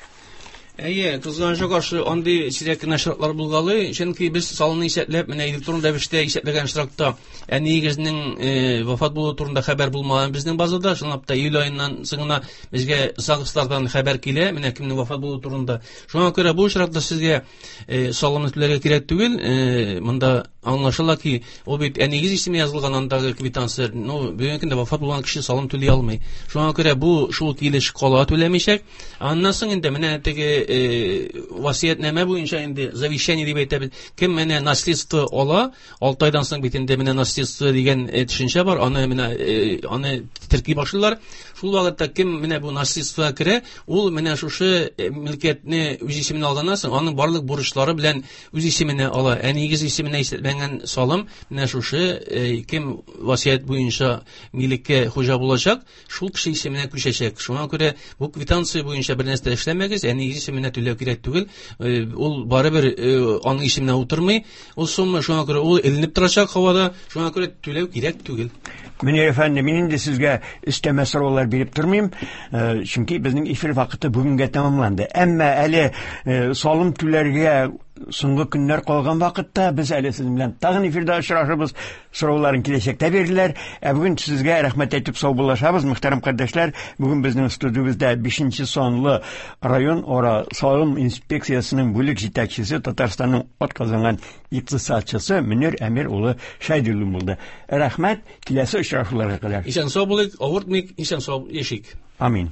Әйе, кызганычка каршы андый сирәк кенә шартлар булгалый, чөнки без салымны исәпләп, менә электрон рәвештә исәпләгән очракта әниегезнең э, вафат булуы турында хәбәр булмаган безнең базада, чынлап та июль аеннан соң гына безгә ЗАГСлардан хәбәр килә, менә кемнең вафат булуы турында. Шуңа күрә бу очракта сезгә э, салымны түләргә кирәк түгел, э, монда аңлашыла ки, ул бит әниегез исеме язылган андагы квитанция, ну, бүгенге көндә вафат булган кеше салым түли алмый. Шуңа күрә бу шул килеш кала түләмичәк. Аннан соң инде менә теге васыятьнамә буенча инде завещание дип әйтәбез. Кем менә наследство ала, алты айдан соң бит инде менә наследство дигән төшенчә бар, аны менә аны терки башлыйлар. Шул вакытта кем менә бу наследствога керә, ул менә шушы мөлкәтне үз исеменә алганнан соң, аның барлык бурычлары белән үз исеменә ала. Әнигез исеменә исәпләнгән салым менә шушы кем васыять буенча милеккә хуҗа булачак, шул кеше исеменә күчәчәк. Шуңа күрә бу квитанция буенча бер нәрсә эшләмәгез, әнигез исеменә түләү кирәк түгел. Ул барыбер аның исеменә утырмый. Ул сумма шуңа күрә ул эленеп торачак һавада, шуңа күрә түләү кирәк түгел. Мөнир әфәнде, мин инде сезгә өстәмә сораулар биреп тормыйм, чөнки безнең эфир вакыты бүгенгә тәмамланды. Әмма әле салым түләргә соңгы көннәр калган вакытта без әле сезнең белән тагын эфирда очрашырбыз. Сорауларын киләчәктә бирерләр. Ә бүген сезгә рәхмәт әйтеп саубуллашабыз, мөхтәрәм кардәшләр. Бүген безнең студиябездә бишенче санлы район ара салым инспекциясенең бүлек җитәкчесе, Татарстанның атказанган икътисадчысы Мөнир Әмир улы Шәйдуллин булды. Рәхмәт, киләсе очрашуларга кадәр. Исән сау булыйк, авыртмыйк, исән сау яшик. Амин.